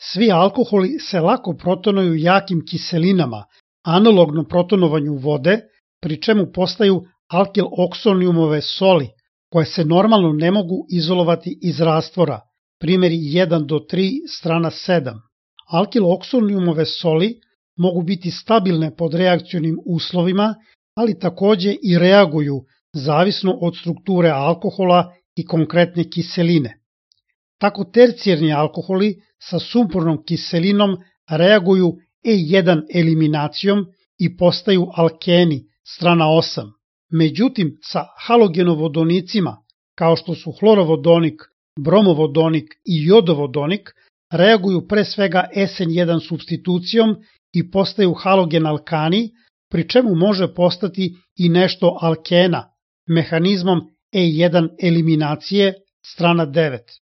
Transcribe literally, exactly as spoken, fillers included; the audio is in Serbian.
Svi alkoholi se lako protonuju jakim kiselinama, analogno protonovanju vode, pri čemu postaju alkil-oksonijumove soli, koje se normalno ne mogu izolovati iz rastvora, primjeri jedan do tri, strana sedam. Alkil-oksonijumove soli mogu biti stabilne pod reakcionim uslovima, ali takođe i reaguju zavisno od strukture alkohola i konkretne kiseline. Tako tercijarni alkoholi sa sumpornom kiselinom reaguju E jedan eliminacijom i postaju alkeni, strana osam. Međutim, sa halogenovodonicima, kao što su hlorovodonik, bromovodonik i jodovodonik, reaguju pre svega S N jedan supstitucijom i postaju halogen alkani, pri čemu može postati i nešto alkena, mehanizmom E jedan eliminacije, strana devet.